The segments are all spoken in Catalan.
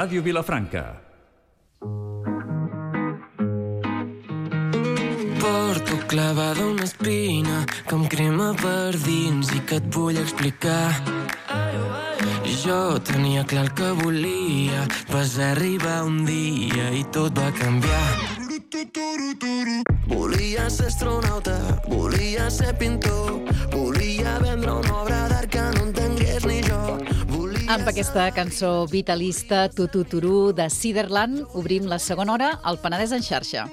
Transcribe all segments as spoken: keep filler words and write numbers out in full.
Ràdio Vilafranca. Porto clavada una espina que em crema per dins i que et vull explicar. Jo tenia clar el que volia, vas arribar un dia i tot va canviar. Volia ser astronauta, volia ser pintor, volia vendre una obra d'art que no entengués ni jo. Amb aquesta cançó vitalista Tu-tu-tu-ru de Ciderland obrim la segona hora al Penedès en xarxa.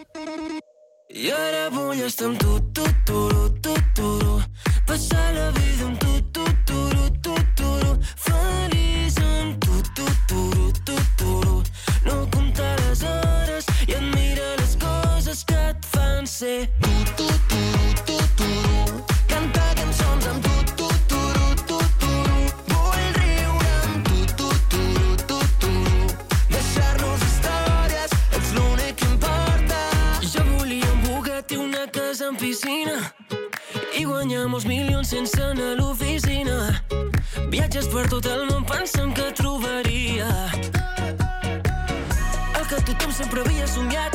I ara vull estar amb tu, tu-tu-ru, tu-tu-ru, passar la vida amb tu, tu-tu-ru, tu-tu-ru, feliç amb tu, tu-tu-ru, tu-tu-ru, no comptar les hores i admirar les coses que et fan ser tu, tu-tu-ru, tu-tu-ru, cantar cançons amb tu, tu-tu-ru, tu-tu-ru, vull riure amb tu, tu-tu-ru, tu-tu-ru, deixar-nos històries, ets l'únic que importa. Jo volia un Bugatti, una casa amb piscina i guanyar molts milions sense anar a l'oficina. Viatges per tot el món pensant que trobaria el que tothom sempre havia somiat.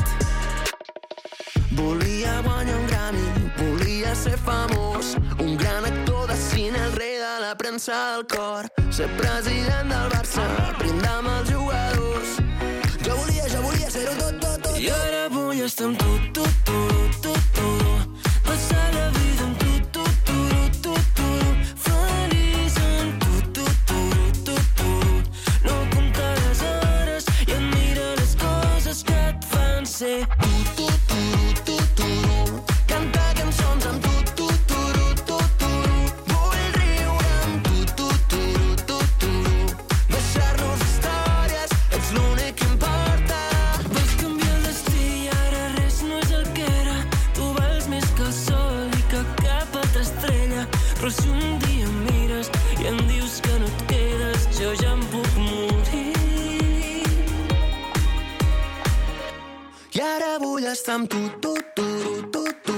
Volia guanyar un Grammy, volia ser famós, un gran actor de cine, el rei de la premsa del cor, ser president del Barça, brindar amb els jugadors. Jo volia, jo volia ser-ho tot, tot, tot. I ara vull estar amb tu, tu, tu, tu, tu, passar la vida amb tu, tu, tu, tu, tu, feliç amb tu, tu, tu, tu, tu, no comptar les hores i admirar les coses que et fan ser tu, tu, tu, tu, tu, cantar cançons amb tu, tu, tu, tu, tu, vull riure amb tu, tu, tu, tu, tu, deixar-nos històries, ets l'únic que importa. Vas canviar el destí i ara res no és el que era. Tu vals més que el sol i que cap altra estrella. Però si un dia em mires i em dius que no et quedes, jo ja em puc morir. I ara vull estar amb tu, tu, tu, tu, tu,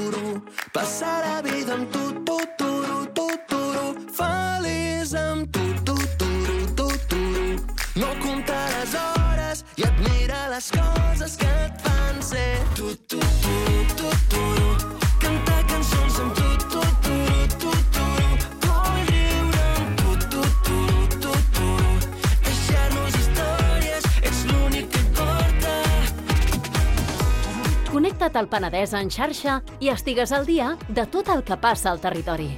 passar la vida amb tu, tu, tu, tu, tu, feliç amb tu, tu, tu, tu, tu, no comptar les hores i admirar les coses que et fan ser tu, tu, tu, tu, tu, cantar cançons amb tu, tu, tu, tu, tu, vull riure amb tu, tu, tu, tu, tu, deixar-nos històries, ets l'únic que importa. Connecta't al Penedès en xarxa i estigues al dia de tot el que passa al territori.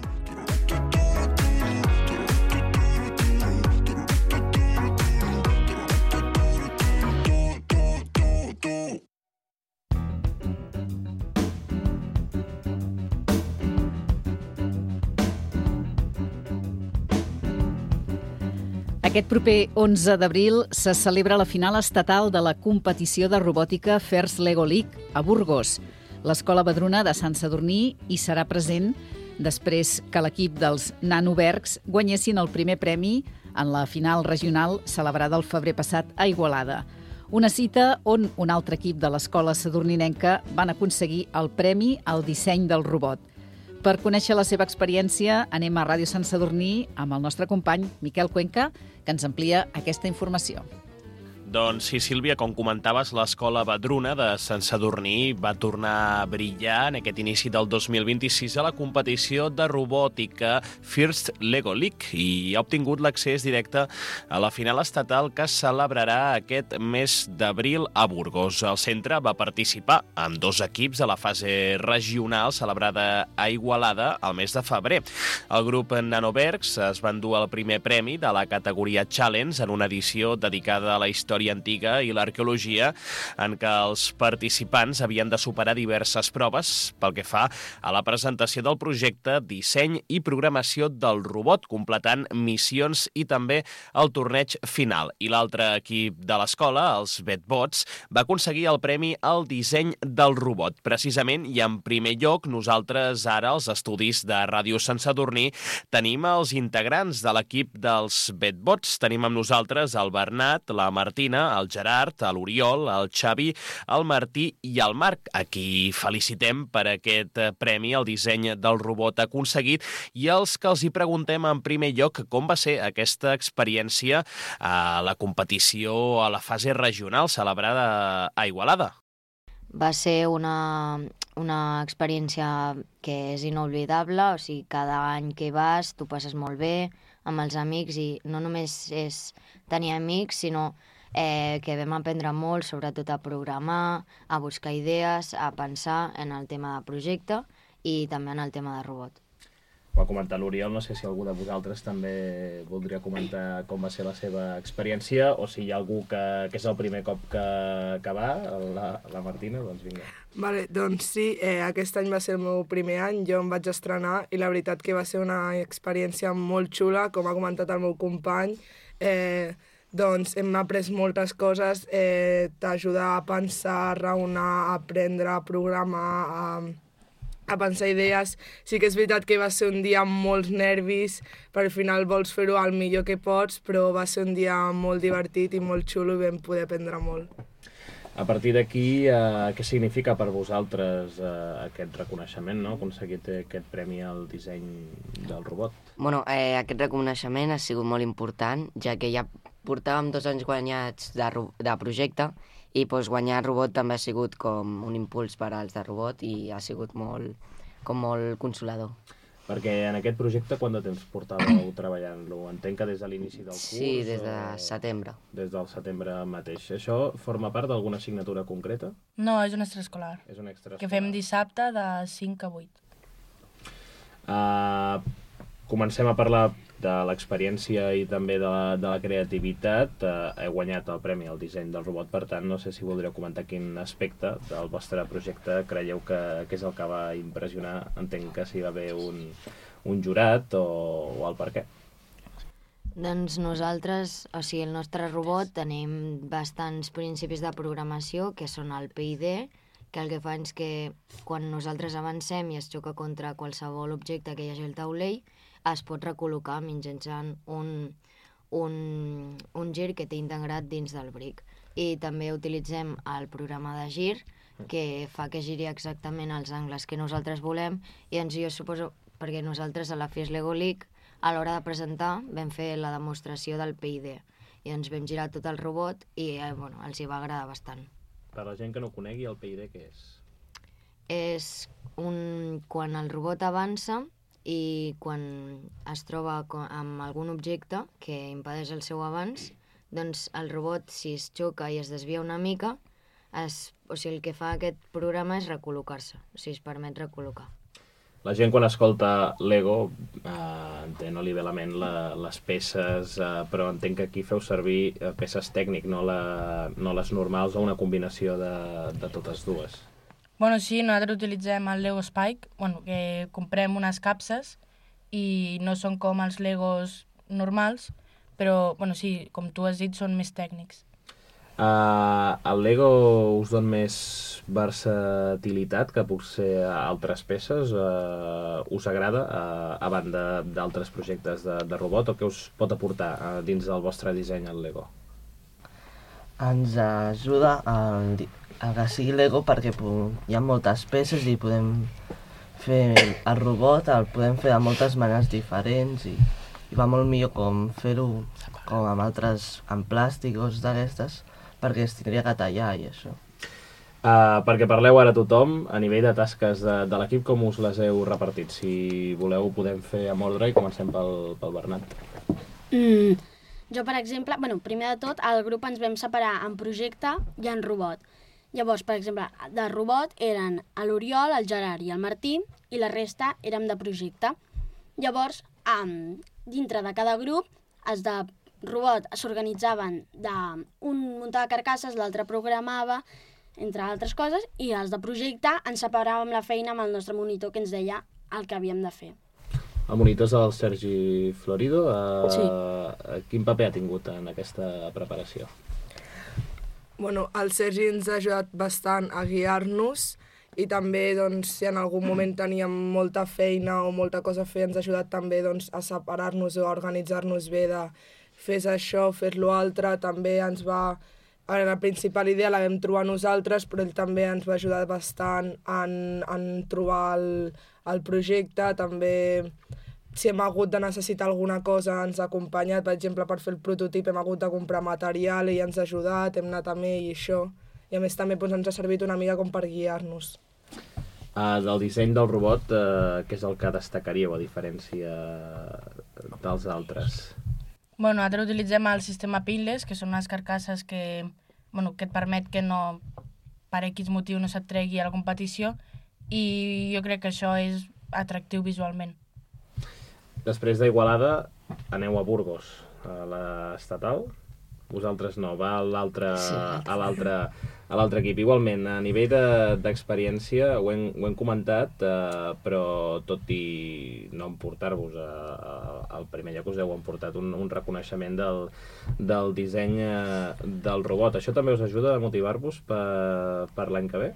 Aquest proper onze d'abril se celebra la final estatal de la competició de robòtica First Lego League a Burgos. L'Escola Vedruna de Sant Sadurní hi serà present després que l'equip dels Nanobergs guanyessin el primer premi en la final regional celebrada el febrer passat a Igualada. Una cita on un altre equip de l'escola sadurninenca van aconseguir el premi al disseny del robot. Per conèixer la seva experiència, anem a Ràdio Sant Sadurní amb el nostre company Miquel Cuenca, que ens amplia aquesta informació. Doncs sí, Sílvia, com comentaves, l'Escola Vedruna de Sant Sadurní va tornar a brillar en aquest inici del dos mil vint-i-sis a la competició de robòtica First Lego League i ha obtingut l'accés directe a la final estatal que es celebrarà aquest mes d'abril a Burgos. El centre va participar amb dos equips a la fase regional celebrada a Igualada el mes de febrer. El grup Nanobergs es va endur el primer premi de la categoria Challenge en una edició dedicada a la història antiga i l'arqueologia, en què els participants havien de superar diverses proves pel que fa a la presentació del projecte, disseny i programació del robot, completant missions i també el torneig final. I l'altre equip de l'escola, els Vetbots, va aconseguir el premi al disseny del robot. Precisament, i en primer lloc, nosaltres ara, als estudis de Ràdio Sant Sadurní, tenim els integrants de l'equip dels Vetbots. Tenim amb nosaltres el Bernat, la Martina Martina, el Gerard, l'Oriol, el Xavi, el Martí i el Marc, a qui felicitem per aquest premi al disseny del robot aconseguit, i els que els hi preguntem en primer lloc com va ser aquesta experiència a la competició a la fase regional celebrada a Igualada. Va ser una, una experiència que és inolvidable, o sigui, cada any que hi vas t'ho passes molt bé amb els amics i no només és tenir amics, sinó eh, que vam aprendre molt, sobretot a programar, a buscar idees, a pensar en el tema de projecte i també en el tema de robot. Ho ha comentat l'Oriol, no sé si algú de vosaltres també voldria comentar com va ser la seva experiència o si hi ha algú que, que és el primer cop que, que va, la, la Martina, doncs vinga. Vale, doncs sí, eh, aquest any va ser el meu primer any, jo em vaig estrenar i la veritat que va ser una experiència molt xula, com ha comentat el meu company, eh, doncs hem après moltes coses, eh, t'ajuda a pensar, a raonar, a aprendre, a programar, a... a pensar idees. Sí que és veritat que va ser un dia amb molts nervis, per al final vols fer-ho el millor que pots, però va ser un dia molt divertit i molt xulo i vam poder aprendre molt. A partir d'aquí, eh, què significa per vosaltres eh, aquest reconeixement, no? Aconseguir aquest premi al disseny del robot? Bueno, eh, aquest reconeixement ha sigut molt important, ja que ja portàvem dos anys guanyats de, de projecte i doncs, guanyar robot també ha sigut com un impuls per als de robot i ha sigut molt, com molt consolador. Perquè en aquest projecte quant de temps portàveu treballant-lo? Entenc que des de l'inici del curs? Sí, des de o... setembre. Des del setembre mateix. Això forma part d'alguna assignatura concreta? No, és un extraescolar. És un extraescolar. Que fem dissabte de cinc a vuit. Uh, comencem a parlar de l'experiència i també de la, de la creativitat. Uh, he guanyat el premi al disseny del robot, per tant, no sé si voldríeu comentar quin aspecte del vostre projecte creieu que, que és el que va impressionar. Entenc que si va haver un, un jurat o, o el per què. Doncs nosaltres, o sigui, el nostre robot tenim bastants principis de programació, que són el P I D, que el que fa és que quan nosaltres avancem i es xoca contra qualsevol objecte que hi hagi al taulell, es pot recol·locar mitjançant un, un, un gir que té integrat dins del bric. I també utilitzem el programa de gir, que fa que giri exactament els angles que nosaltres volem, i doncs jo suposo, perquè nosaltres a la First Lego League, a l'hora de presentar, vam fer la demostració del P I D, i doncs vam girar tot el robot i eh, bueno, els hi va agradar bastant. Per la gent que no conegui, el P I D què és? És un... quan el robot avança i quan es troba amb algun objecte que impedeix el seu avanç, doncs el robot, si es xoca i es desvia una mica, es, o sigui, el que fa aquest programa és recol·locar-se, o sigui, es permet recol·locar. La gent quan escolta Lego eh, entén, no li ve a la ment la, les peces, eh, però entenc que aquí feu servir eh, peces tècnic, no, la, no les normals o una combinació de, de totes dues. Bueno, sí, nosaltres utilitzem el Lego Spike, bueno, que comprem unes capses i no són com els Legos normals, però, bueno, sí, com tu has dit, són més tècnics. Uh, el Lego us dona més versatilitat que potser altres peces? Uh, us agrada, uh, a banda d'altres projectes de, de robot, o què us pot aportar uh, dins del vostre disseny el Lego? Ens ajuda a, a que sigui Lego perquè hi ha moltes peces i podem fer el robot, el podem fer de moltes maneres diferents i, i va molt millor com fer-ho com amb altres, amb plàstic o d'aquestes, perquè es tindria que tallar i això. Uh, perquè parleu ara tothom, a nivell de tasques de, de l'equip, com us les heu repartit? Si voleu podem fer amb ordre i comencem pel, pel Bernat. Mm. Jo, per exemple, bueno, primer de tot, al grup ens vam separar en projecte i en robot. Llavors, per exemple, de robot eren l'Oriol, el Gerard i el Martí, i la resta érem de projecte. Llavors, um, dintre de cada grup, els de robot s'organitzaven d'un muntava carcasses, l'altre programava, entre altres coses, i els de projecte ens separàvem la feina amb el nostre monitor que ens deia el que havíem de fer. El monitor és el Sergi Florido. Uh, sí. Quin paper ha tingut en aquesta preparació? Bueno, el Sergi ens ha ajudat bastant a guiar-nos i també, doncs, si en algun moment teníem molta feina o molta cosa a fer, ens ha ajudat també doncs, a separar-nos o a organitzar-nos bé de fes això, fes-lo altre. També ens va a la principal idea la vam trobar nosaltres, però ell també ens va ajudar bastant en, en trobar el, el projecte. També, si hem hagut de necessitar alguna cosa, ens ha acompanyat. Per exemple, per fer el prototip hem hagut de comprar material, ell ens ha ajudat, hem anat amb ell i això. I a més també doncs, ens ha servit una mica com per guiar-nos. Uh, del disseny del robot, uh, què és el que destacaríeu a diferència dels altres? Bueno, nosaltres utilitzem el sistema pinless, que són unes carcasses que, bueno, que et permet que no, per X motiu no se't tregui a la competició, i jo crec que això és atractiu visualment. Després d'Igualada aneu a Burgos, a l'estatal. Vosaltres no, va a l'altre sí, a l'altre a l'altre equip. Igualment, a nivell d'experiència, de, ho, hem, ho hem comentat, eh, però tot i no emportar-vos al primer lloc, us heu emportat un, un reconeixement del, del disseny eh, del robot. Això també us ajuda a motivar-vos per, per l'any que ve?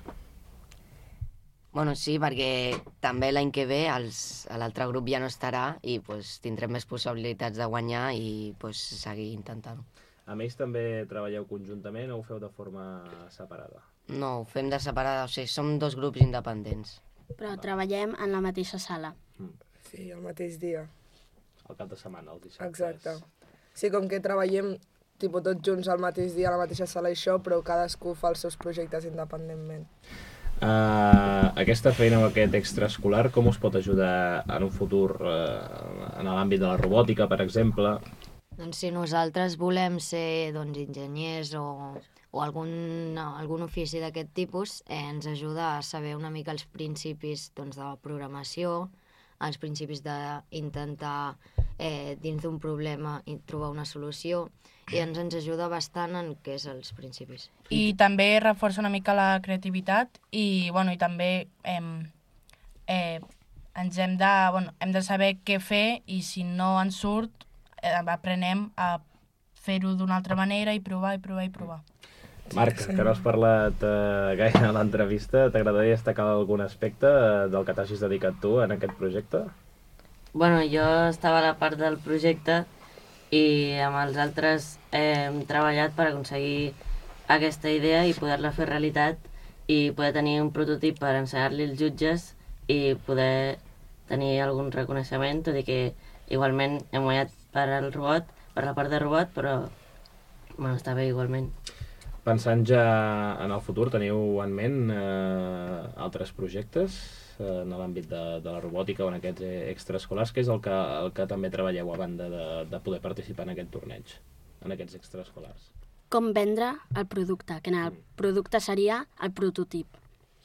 Bueno, sí, perquè també l'any que ve l'altre grup ja no estarà i pues, tindrem més possibilitats de guanyar i pues, seguir intentant-ho. A més, també treballeu conjuntament o ho feu de forma separada? No, ho fem de separada, o sigui, som dos grups independents. Però treballem en la mateixa sala. Mm. Sí, el mateix dia. El cap de setmana, els dissabtes. Exacte. Sí, com que treballem tipus, tots junts al mateix dia, a la mateixa sala i això, però cadascú fa els seus projectes independentment. Uh, aquesta feina o aquest extraescolar, com us pot ajudar en un futur uh, en l'àmbit de la robòtica, per exemple? Doncs si nosaltres volem ser doncs, enginyers o, o algun, no, algun ofici d'aquest tipus, eh, ens ajuda a saber una mica els principis doncs, de la programació, els principis d'intentar eh, dins d'un problema trobar una solució, i ens, ens ajuda bastant en què és els principis. I també reforça una mica la creativitat i, bueno, i també eh, eh, ens hem de, bueno, hem de saber què fer i si no ens surt eh, aprenem a fer-ho d'una altra manera i provar i provar i provar. Marc, que no has parlat eh, gaire a l'entrevista, t'agradaria destacar algun aspecte eh, del que t'hagis dedicat tu en aquest projecte? Bueno, jo estava a la part del projecte i amb els altres eh, hem treballat per aconseguir aquesta idea i poder-la fer realitat i poder tenir un prototip per ensenyar-li als jutges i poder tenir algun reconeixement, tot i que igualment hem guanyat per al robot, per la part de robot, però bueno, està bé igualment. Pensant ja en el futur, teniu en ment eh, altres projectes eh, en l'àmbit de, de la robòtica o en aquests extraescolars? Què és el que, el que també treballeu a banda de, de poder participar en aquest torneig, en aquests extraescolars? Com vendre el producte, que el producte seria el prototip.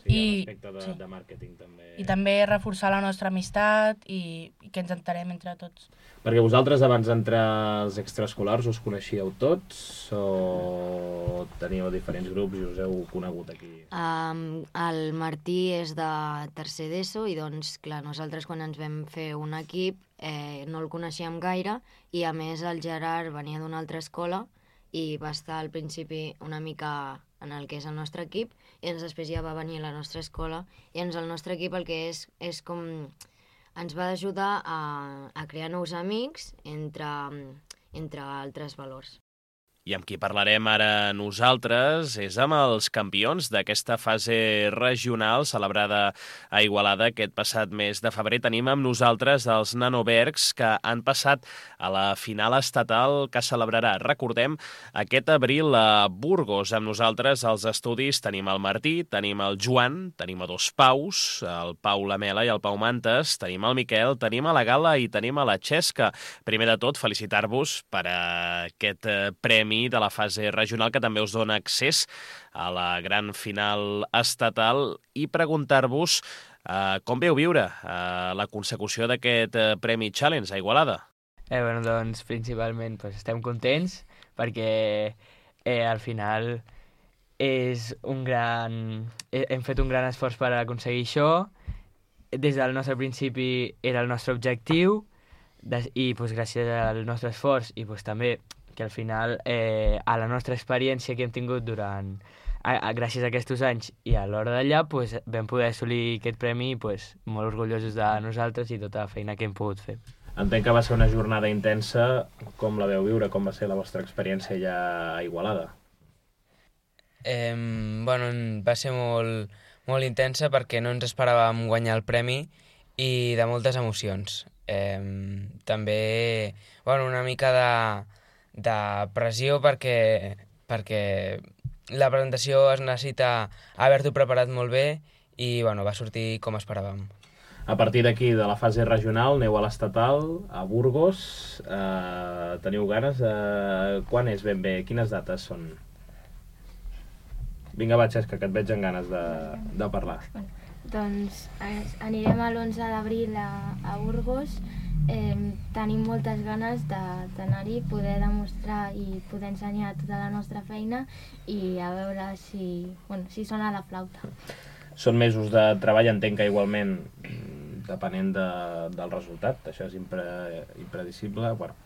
Sí, I, l'aspecte de, sí. de màrqueting també. I també reforçar la nostra amistat i, i que ens entenem entre tots. Perquè vosaltres abans d'entrar als extraescolars us coneixíeu tots o teníeu diferents grups i us heu conegut aquí? Um, el Martí és de tercer d'ESO i doncs, clar, nosaltres quan ens vam fer un equip eh, no el coneixíem gaire i a més el Gerard venia d'una altra escola i va estar al principi una mica en el que és el nostre equip i ens després ja va venir a la nostra escola i ens el nostre equip el que és és com ens va ajudar a, a crear nous amics entre, entre altres valors. I amb qui parlarem ara nosaltres és amb els campions d'aquesta fase regional celebrada a Igualada aquest passat mes de febrer. Tenim amb nosaltres els Nanobergs que han passat a la final estatal que celebrarà, recordem, aquest abril a Burgos. Amb nosaltres als estudis tenim el Martí, tenim el Joan, tenim a dos Paus, el Pau Lamela i el Pau Mantes, tenim el Miquel, tenim a la Gala i tenim a la Xesca. Primer de tot, felicitar-vos per aquest premi de la fase regional que també us dona accés a la gran final estatal i preguntar-vos uh, com veu viure uh, la consecució d'aquest uh, Premi Challenge a Igualada. Eh, bueno, doncs principalment pues, estem contents perquè eh, al final és un gran... hem fet un gran esforç per aconseguir això. Des del nostre principi era el nostre objectiu i pues, gràcies al nostre esforç i pues, també que al final, eh, a la nostra experiència que hem tingut durant, a, a, gràcies a aquests anys i a l'hora d'allà, pues, vam poder assolir aquest premi i pues, molt orgullosos de nosaltres i tota la feina que hem pogut fer. Entenc que va ser una jornada intensa. Com la veu viure? Com va ser la vostra experiència ja a Igualada? Eh, bueno, va ser molt, molt intensa perquè no ens esperàvem guanyar el premi i de moltes emocions. Eh, també bueno, una mica de, de pressió perquè, perquè la presentació es necessita haver-t'ho preparat molt bé i bueno, va sortir com esperàvem. A partir d'aquí, de la fase regional, aneu a l'estatal, a Burgos. Eh, teniu ganes? Eh, quan és ben bé? Quines dates són? Vinga, va, Xesca, que et veig amb ganes de, de parlar. Doncs eh, anirem a l'onze d'abril a, a Burgos. Eh, tenim moltes ganes d'anar-hi, poder demostrar i poder ensenyar tota la nostra feina i a veure si, bueno, si sona la flauta. Són mesos de treball, entenc que igualment, depenent de, del resultat, això és impre, impredicible, bueno,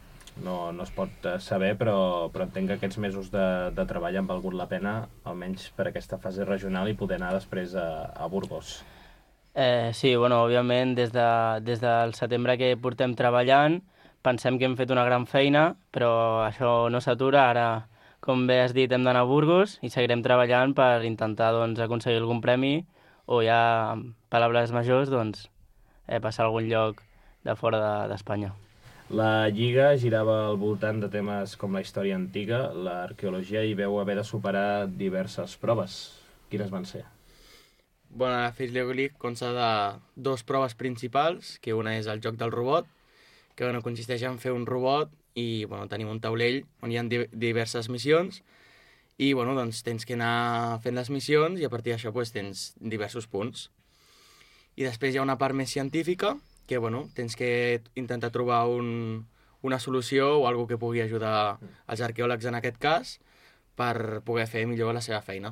no, no es pot saber, però, però entenc que aquests mesos de, de treball han valgut la pena, almenys per aquesta fase regional, i poder anar després a, a Burgos. Eh, sí, bueno, òbviament, des, de, des del setembre que portem treballant, pensem que hem fet una gran feina, però això no s'atura. Ara, com bé has dit, hem d'anar a Burgos i seguirem treballant per intentar doncs, aconseguir algun premi o ja, amb paraules majors, doncs, eh, passar a algun lloc de fora d'Espanya. De, La Lliga girava al voltant de temes com la història antiga, l'arqueologia, i veu haver de superar diverses proves. Quines van ser? Bueno, la First Lego League consta de dues proves principals, que una és el joc del robot, que bueno, consisteix en fer un robot i bueno, tenim un taulell on hi ha di diverses missions i bueno, doncs, tens que anar fent les missions i a partir d'això doncs, tens diversos punts. I després hi ha una part més científica, que bueno, tens que intentar trobar un, una solució o alguna que pugui ajudar els arqueòlegs en aquest cas per poder fer millor la seva feina.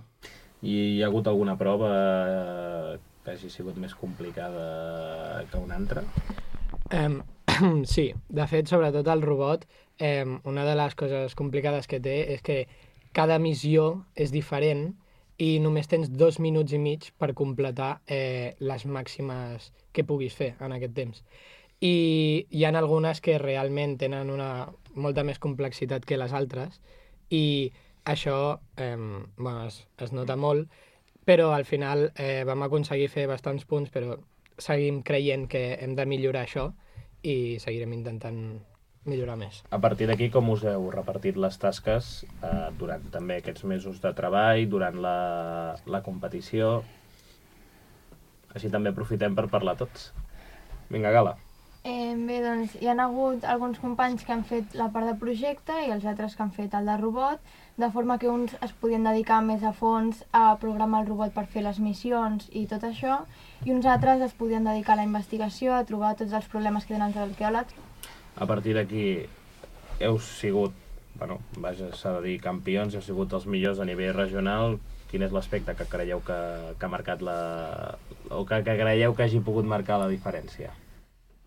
I hi ha hagut alguna prova que hagi sigut més complicada que una altra? Um, sí, de fet, sobretot el robot, um, una de les coses complicades que té és que cada missió és diferent i només tens dos minuts i mig per completar eh, les màximes que puguis fer en aquest temps. I hi ha algunes que realment tenen una molta més complexitat que les altres i això eh, bueno, es, es nota molt, però al final eh, vam aconseguir fer bastants punts, però seguim creient que hem de millorar això i seguirem intentant millorar més. A partir d'aquí, com us heu repartit les tasques eh, durant també aquests mesos de treball, durant la, la competició? Així també aprofitem per parlar tots. Vinga, Gala. Eh, bé, doncs hi ha hagut alguns companys que han fet la part de projecte i els altres que han fet el de robot, de forma que uns es podien dedicar més a fons a programar el robot per fer les missions i tot això, i uns altres es podien dedicar a la investigació, a trobar tots els problemes que tenen els arqueòlegs. A partir d'aquí heu sigut, bueno, vaja, s'ha de dir campions, heu sigut els millors a nivell regional. Quin és l'aspecte que creieu que, que ha marcat la... o que, que creieu que hagi pogut marcar la diferència?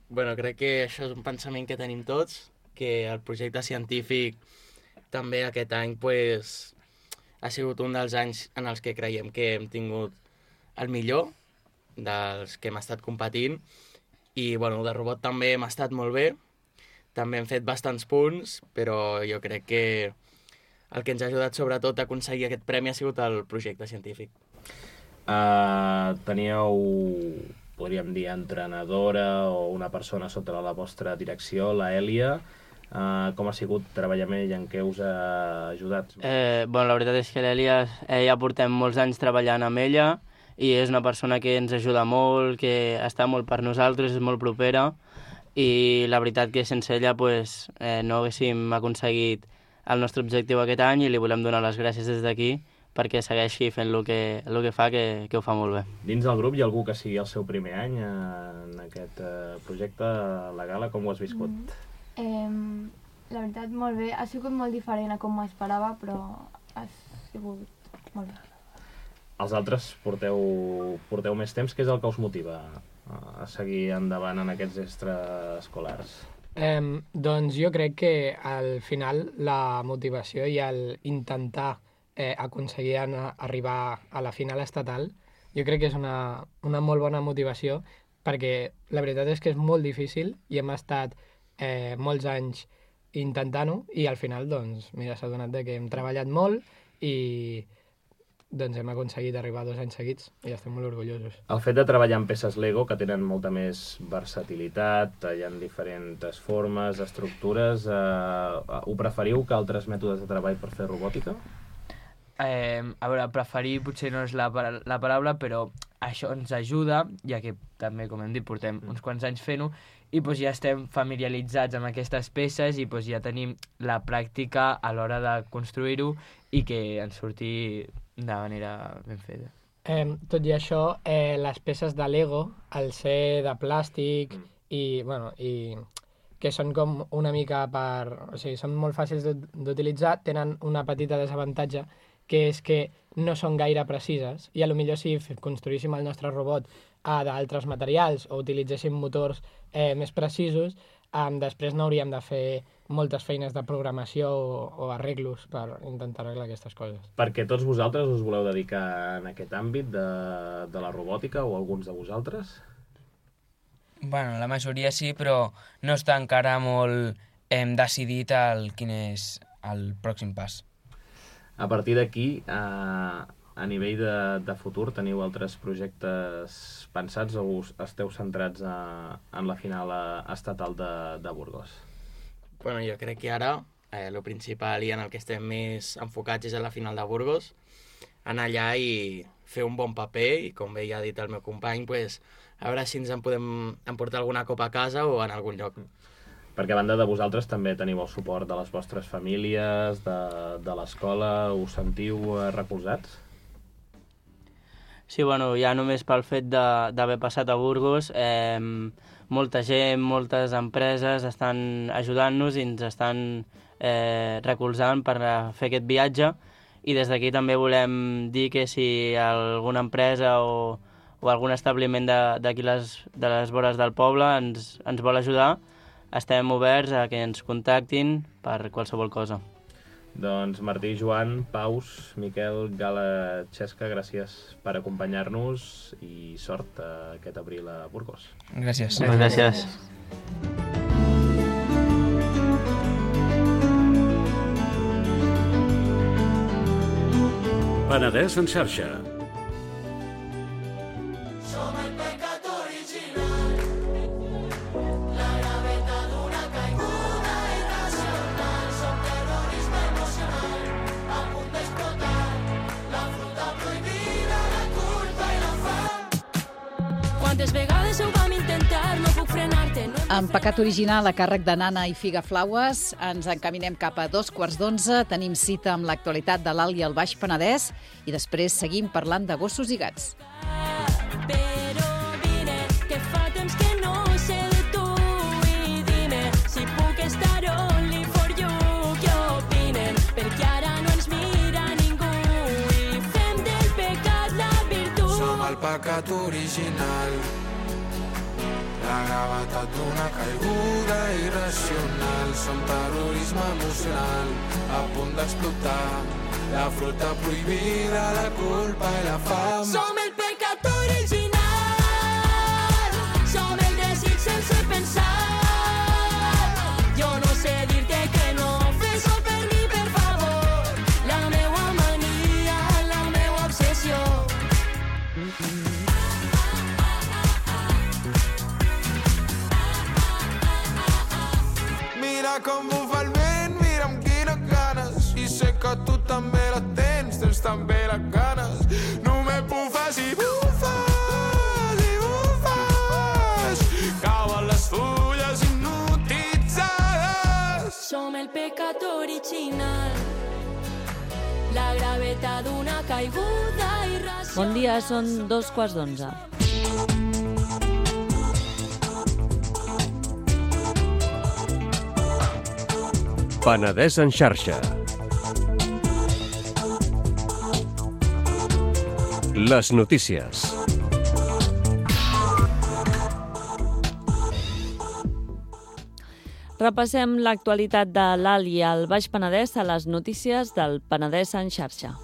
Bueno, crec que això és un pensament que tenim tots, que el projecte científic també aquest any pues, ha sigut un dels anys en els que creiem que hem tingut el millor dels que hem estat competint i bueno, de robot també hem estat molt bé, també hem fet bastants punts, però jo crec que el que ens ha ajudat sobretot a aconseguir aquest premi ha sigut el projecte científic. Uh, teníeu, podríem dir, entrenadora o una persona sota la vostra direcció, la Èlia. Uh, com ha sigut treballar amb ella, en què us ha ajudat? Eh, bueno, la veritat és que l'Èlia eh, ja portem molts anys treballant amb ella i és una persona que ens ajuda molt, que està molt per nosaltres, és molt propera i la veritat que sense ella pues, eh, no haguéssim aconseguit el nostre objectiu aquest any i li volem donar les gràcies des d'aquí perquè segueixi fent el que, el que fa, que, que ho fa molt bé. Dins del grup hi ha algú que sigui el seu primer any en aquest uh, projecte, la Gala, com ho has viscut? Mm. Eh, la veritat, molt bé. Ha sigut molt diferent a com m'ho esperava, però ha sigut molt bé. Els altres porteu, porteu més temps. Què és el que us motiva a seguir endavant en aquests extraescolars? Eh, doncs jo crec que al final la motivació i el intentar eh, aconseguir anar, arribar a la final estatal, jo crec que és una, una molt bona motivació perquè la veritat és que és molt difícil i hem estat eh, molts anys intentant-ho i al final doncs mira, s'ha donat que hem treballat molt i doncs hem aconseguit arribar dos anys seguits i estem molt orgullosos. El fet de treballar amb peces Lego, que tenen molta més versatilitat, hi ha diferents formes, estructures, eh, ho preferiu que altres mètodes de treball per fer robòtica? Eh, a veure, preferir potser no és la, la paraula, però això ens ajuda, ja que també, com hem dit, portem uns quants anys fent-ho, i doncs, ja estem familiaritzats amb aquestes peces i doncs, ja tenim la pràctica a l'hora de construir-ho i que ens surti de manera ben feta. Eh, tot i això, eh, les peces de Lego, al ser de plàstic mm. i, bueno, i que són com una mica per... O sigui, són molt fàcils d'utilitzar, tenen una petita desavantatge, que és que no són gaire precises, i a lo millor si construíssim el nostre robot a d'altres materials o utilitzéssim motors eh, més precisos, eh, després no hauríem de fer moltes feines de programació o, o arreglos per intentar arreglar aquestes coses. Perquè tots vosaltres us voleu dedicar en aquest àmbit de, de la robòtica, o alguns de vosaltres? Bueno, la majoria sí, però no està encara molt hem decidit el, quin és el pròxim pas. A partir d'aquí, a, a nivell de, de futur, teniu altres projectes pensats o us esteu centrats a, en la final estatal de, de Burgos? Bueno, jo crec que ara eh, el principal i en el que estem més enfocats és a la final de Burgos, anar allà i fer un bon paper i, com bé ja ha dit el meu company, pues, a veure si ens en podem emportar alguna copa a casa o en algun lloc. Perquè a banda de vosaltres també teniu el suport de les vostres famílies, de, de l'escola, us sentiu recolzats? Sí, bueno, ja només pel fet d'haver passat a Burgos, eh, molta gent, moltes empreses estan ajudant-nos i ens estan eh, recolzant per fer aquest viatge, i des d'aquí també volem dir que si alguna empresa o, o algun establiment d'aquí les, de les vores del poble ens, ens vol ajudar, estem oberts a que ens contactin per qualsevol cosa. Doncs Martí, Joan, Paus, Miquel, Gala, Xesca, gràcies per acompanyar-nos i sort aquest abril a Burgos. Gràcies. Gràcies. Penedès en xarxa. Amb Pecat Original a càrrec de Nana i Figa Flaues ens encaminem cap a dos quarts d'onze, tenim cita amb l'actualitat de l'Alt i el Baix Penedès i després seguim parlant de gossos i gats. Però vine, que fa temps que no sé de tu i dime si puc estar only for you. Què opinen? Perquè ara no ens mira ningú i fem del pecat la virtut. Som el pecat original, la gravetat d'una caiguda irracional. Som terrorisme emocional, a punt d'explotar. La fruita prohibida, la culpa i la fam. Som el pecat original, som el desig sense pensar. Jo no sé dir-te que no, fes-ho per mi, per favor. La meua mania, la meua obsessió. Mira com bufa el vent, mira amb quines ganes. I sé que tu també la tens, tens també les ganes. Només bufes i bufes i bufes. Cauen les fulles hipnotitzades. Som el pecat original, la gravetat d'una caiguda irracional. Bon dia, són dos quarts d'onze. Penedès en xarxa. Les notícies. Repassem l'actualitat de l'Alt i el Baix Penedès a les notícies del Penedès en xarxa.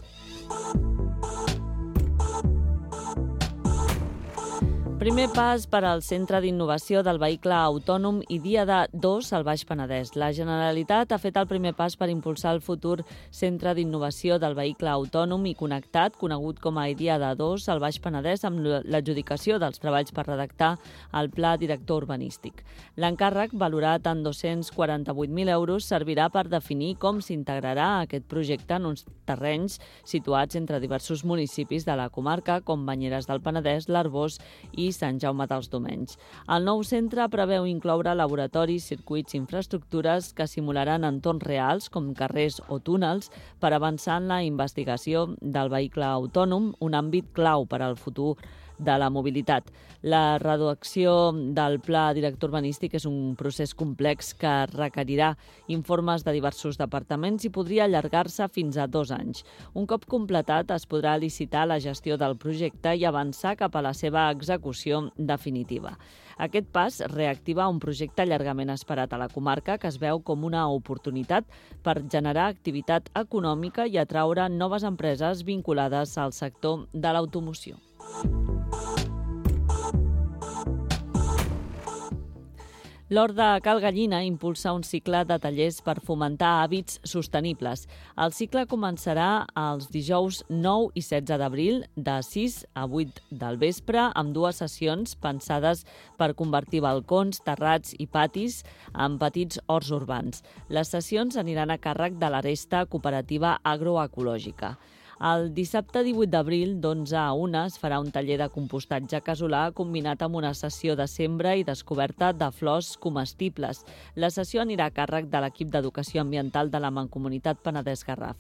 Primer pas per al Centre d'Innovació del Vehicle Autònom i Diada dos al Baix Penedès. La Generalitat ha fet el primer pas per impulsar el futur Centre d'Innovació del Vehicle Autònom i Connectat, conegut com a Diada dos al Baix Penedès, amb l'adjudicació dels treballs per redactar el Pla Director Urbanístic. L'encàrrec, valorat en dos-cents quaranta-vuit mil euros, servirà per definir com s'integrarà aquest projecte en uns terrenys situats entre diversos municipis de la comarca, com Banyeres del Penedès, l'Arboç i Sant Jaume dels Domenys. El nou centre preveu incloure laboratoris, circuits i infraestructures que simularan entorns reals, com carrers o túnels, per avançar en la investigació del vehicle autònom, un àmbit clau per al futur de la mobilitat. La redacció del Pla Director Urbanístic és un procés complex que requerirà informes de diversos departaments i podria allargar-se fins a dos anys. Un cop completat, es podrà licitar la gestió del projecte i avançar cap a la seva execució definitiva. Aquest pas reactiva un projecte llargament esperat a la comarca que es veu com una oportunitat per generar activitat econòmica i atraure noves empreses vinculades al sector de l'automoció. L'Hort de Cal Gallina impulsa un cicle de tallers per fomentar hàbits sostenibles. El cicle començarà els dijous nou i setze d'abril, de sis a vuit del vespre, amb dues sessions pensades per convertir balcons, terrats i patis en petits horts urbans. Les sessions aniran a càrrec de l'Aresta Cooperativa Agroecològica. El dissabte divuit d'abril, d'onze a una, es farà un taller de compostatge casolà combinat amb una sessió de sembra i descoberta de flors comestibles. La sessió anirà a càrrec de l'equip d'Educació Ambiental de la Mancomunitat Penedès-Garraf.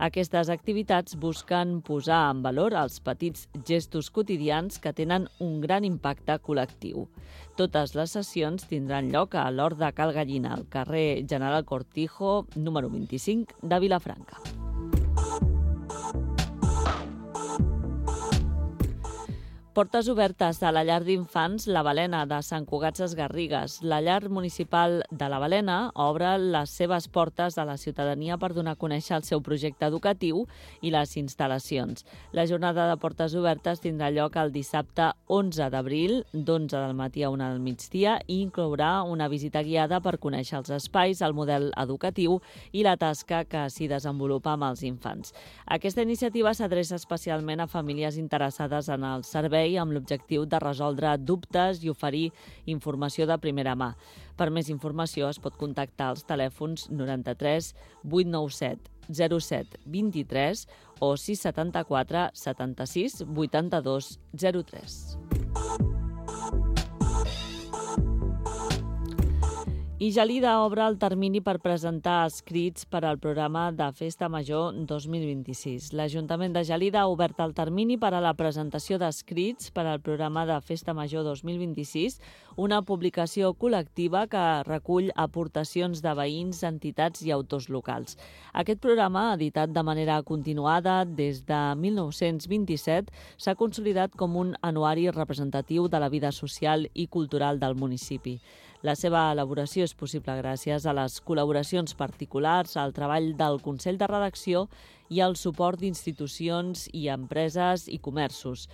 Aquestes activitats busquen posar en valor els petits gestos quotidians que tenen un gran impacte col·lectiu. Totes les sessions tindran lloc a l'Hort de Cal Gallina, al carrer General Cortijo, número vint-i-cinc de Vilafranca. Portes obertes a la llar d'infants La Balena de Sant Cugat Sesgarrigues. La llar municipal de La Balena obre les seves portes a la ciutadania per donar a conèixer el seu projecte educatiu i les instal·lacions. La jornada de portes obertes tindrà lloc el dissabte onze d'abril, d'onze del matí a una del migdia, i inclourà una visita guiada per conèixer els espais, el model educatiu i la tasca que s'hi desenvolupa amb els infants. Aquesta iniciativa s'adreça especialment a famílies interessades en el servei amb l'objectiu de resoldre dubtes i oferir informació de primera mà. Per més informació es pot contactar als telèfons noranta-tres vuit nou set zero set vint-i-tres o sis setanta-quatre setanta-sis vuitanta-dos zero tres. I Gelida obre el termini per presentar escrits per al programa de Festa Major dos mil vint-i-sis. L'Ajuntament de Gelida ha obert el termini per a la presentació d'escrits per al programa de Festa Major dos mil vint-i-sis, una publicació col·lectiva que recull aportacions de veïns, entitats i autors locals. Aquest programa, editat de manera continuada des de mil nou-cents vint-i-set, s'ha consolidat com un anuari representatiu de la vida social i cultural del municipi. La seva elaboració és possible gràcies a les col·laboracions particulars, al treball del Consell de Redacció i al suport d'institucions i empreses i comerços.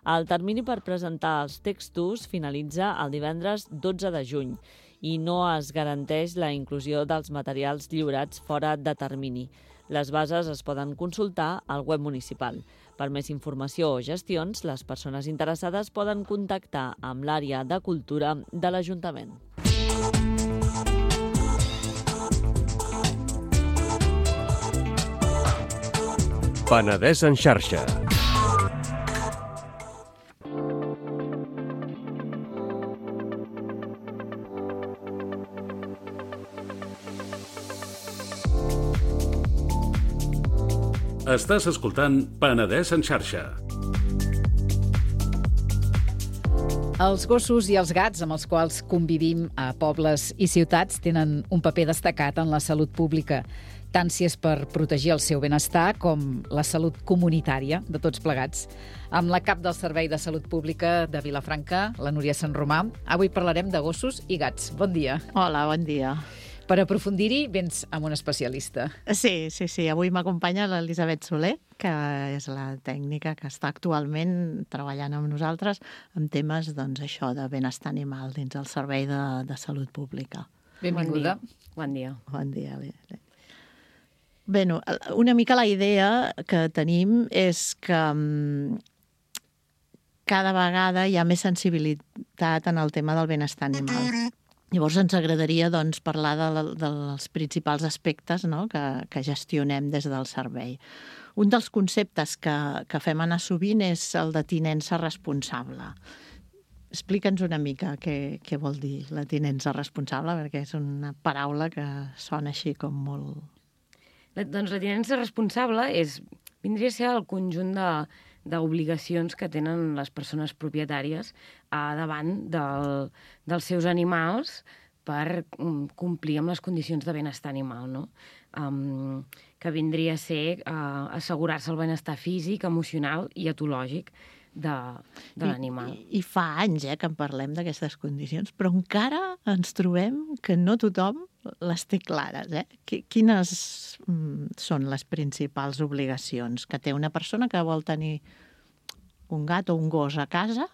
El termini per presentar els textos finalitza el divendres dotze de juny i no es garanteix la inclusió dels materials lliurats fora de termini. Les bases es poden consultar al web municipal. Per més informació o gestions, les persones interessades poden contactar amb l'àrea de cultura de l'Ajuntament. Penedès en xarxa. Estàs escoltant Penedès en xarxa. Els gossos i els gats amb els quals convivim a pobles i ciutats tenen un paper destacat en la salut pública, tant si és per protegir el seu benestar com la salut comunitària de tots plegats. Amb la cap del Servei de Salut Pública de Vilafranca, la Núria Sant Romà, avui parlarem de gossos i gats. Bon dia. Hola, bon dia. Per aprofundir-hi, vens amb un especialista. Sí, sí, sí. Avui m'acompanya l'Elisabet Soler, que és la tècnica que està actualment treballant amb nosaltres en temes, doncs, això de benestar animal dins el Servei de, de Salut Pública. Benvinguda. Bon dia. Bon dia. Bon dia. Bé, una mica la idea que tenim és que cada vegada hi ha més sensibilitat en el tema del benestar animal. Llavors ens agradaria doncs, parlar de, dels principals aspectes, no?, que, que gestionem des del servei. Un dels conceptes que, que fem anar sovint és el de tinença responsable. Explica'ns una mica què, què vol dir la tinença responsable, perquè és una paraula que sona així com molt... La, doncs la tinença responsable és, vindria a ser el conjunt de, d'obligacions que tenen les persones propietàries a davant del, dels seus animals per um, complir amb les condicions de benestar animal, no? Um, que vindria a ser uh, assegurar-se el benestar físic, emocional i etològic de, de l'animal. I, I fa anys eh, que en parlem d'aquestes condicions, però encara ens trobem que no tothom les té clares. Eh? Quines mm, són les principals obligacions que té una persona que vol tenir un gat o un gos a casa?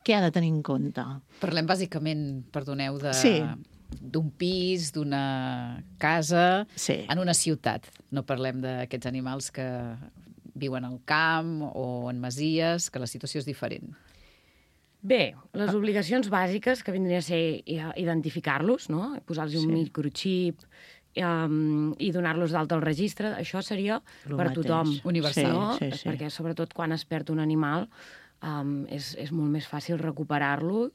Què ha de tenir en compte? Parlem bàsicament, perdoneu, de... Sí. d'un pis, d'una casa, sí. en una ciutat. No parlem d'aquests animals que viuen al camp o en masies, que la situació és diferent. Bé, les obligacions bàsiques que vindria a ser identificar-los, no? Posar-los un sí. microxip um, i donar-los d'alta al registre, això seria Lo per mateix. tothom. Universal. No? Sí, sí, sí. Perquè sobretot quan es perd un animal um, és, és molt més fàcil recuperar-lo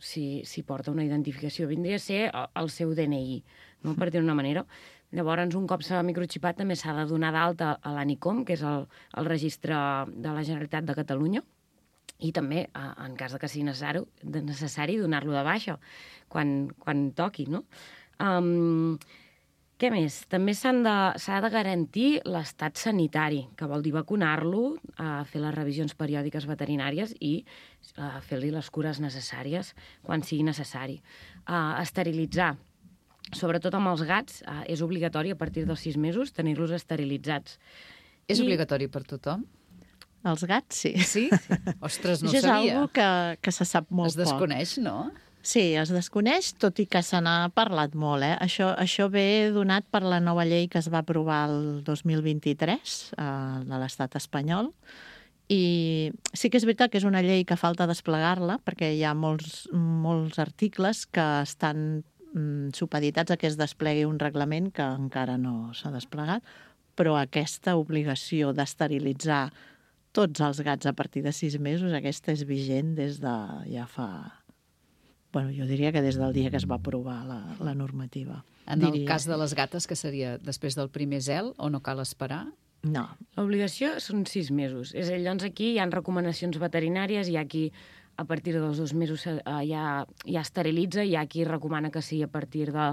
si, si porta una identificació. Vindria a ser el seu D N I, no? Per dir-ho d'una manera. Llavors, un cop s'ha microxipat, també s'ha de donar d'alta a l'ANICOM, que és el, el registre de la Generalitat de Catalunya, i també, en cas de que sigui necessari, necessari donar-lo de baixa quan, quan toqui, no? Um, què més? També s'ha de, s'ha de garantir l'estat sanitari, que vol dir vacunar-lo, uh, fer les revisions periòdiques veterinàries i uh, fer-li les cures necessàries quan sigui necessari. Uh, esterilitzar. Sobretot amb els gats, uh, és obligatori a partir dels sis mesos tenir-los esterilitzats. És I... obligatori per tothom? Els gats, sí. Sí? Ostres, no ho Això sabia. és algo que, que se sap molt poc. Es desconeix, poc. no? Sí, es desconeix, tot i que se n'ha parlat molt. Eh? Això, això ve donat per la nova llei que es va aprovar el dos mil vint-i-tres eh, de l'estat espanyol. I sí que és veritat que és una llei que falta desplegar-la, perquè hi ha molts, molts articles que estan mm, supeditats a que es desplegui un reglament que encara no s'ha desplegat, però aquesta obligació d'esterilitzar tots els gats a partir de sis mesos, aquesta és vigent des de ja fa... Bueno, jo diria que des del dia que es va aprovar la, la normativa. En diria. el cas de les gates, que seria després del primer zel, o no cal esperar? No. L'obligació són sis mesos. És a dir, doncs aquí hi ha recomanacions veterinàries, hi ha qui a partir dels dos mesos eh, ja, ja esterilitza, hi ha qui recomana que sigui a partir de,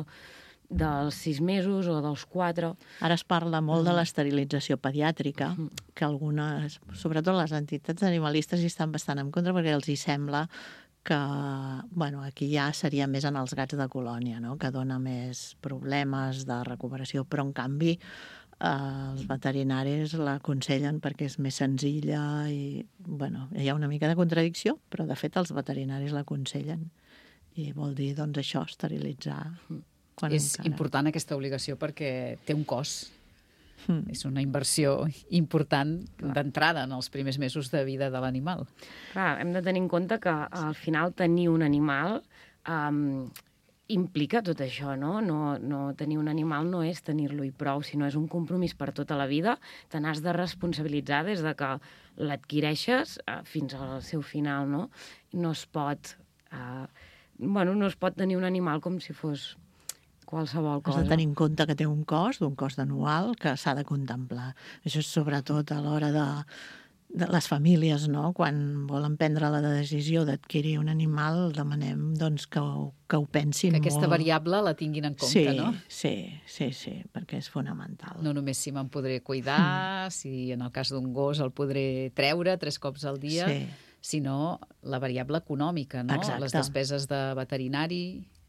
dels sis mesos o dels quatre. Ara es parla molt mm. de l'esterilització pediàtrica, mm. que algunes, sobretot les entitats animalistes, hi estan bastant en contra perquè els hi sembla que, bueno, aquí ja seria més en els gats de colònia, no?, que dona més problemes de recuperació, però en canvi eh, els veterinaris l'aconsellen perquè és més senzilla i, bueno, hi ha una mica de contradicció, però de fet els veterinaris l'aconsellen i vol dir, doncs, això, esterilitzar. Quan és encara... important aquesta obligació perquè té un cost. Mm. És una inversió important d'entrada en els primers mesos de vida de l'animal. Clar, hem de tenir en compte que al final tenir un animal um, implica tot això, no? No, no? Tenir un animal no és tenir-lo i prou, sinó és un compromís per tota la vida. Te n'has de responsabilitzar des de que l'adquireixes uh, fins al seu final, no? No es pot... Uh, bueno, no es pot tenir un animal com si fos... qualsevol cosa. Has de tenir en compte que té un cost, un cost anual, que s'ha de contemplar. Això és sobretot a l'hora de, de les famílies, no? Quan volen prendre la decisió d'adquirir un animal, demanem doncs, que, ho, que ho pensin molt. Que aquesta molt. variable la tinguin en compte, sí, no? Sí, sí, sí, perquè és fonamental. No només si me'n podré cuidar, mm. si en el cas d'un gos el podré treure tres cops al dia, sí. sinó la variable econòmica, no? Exacte. Les despeses de veterinari...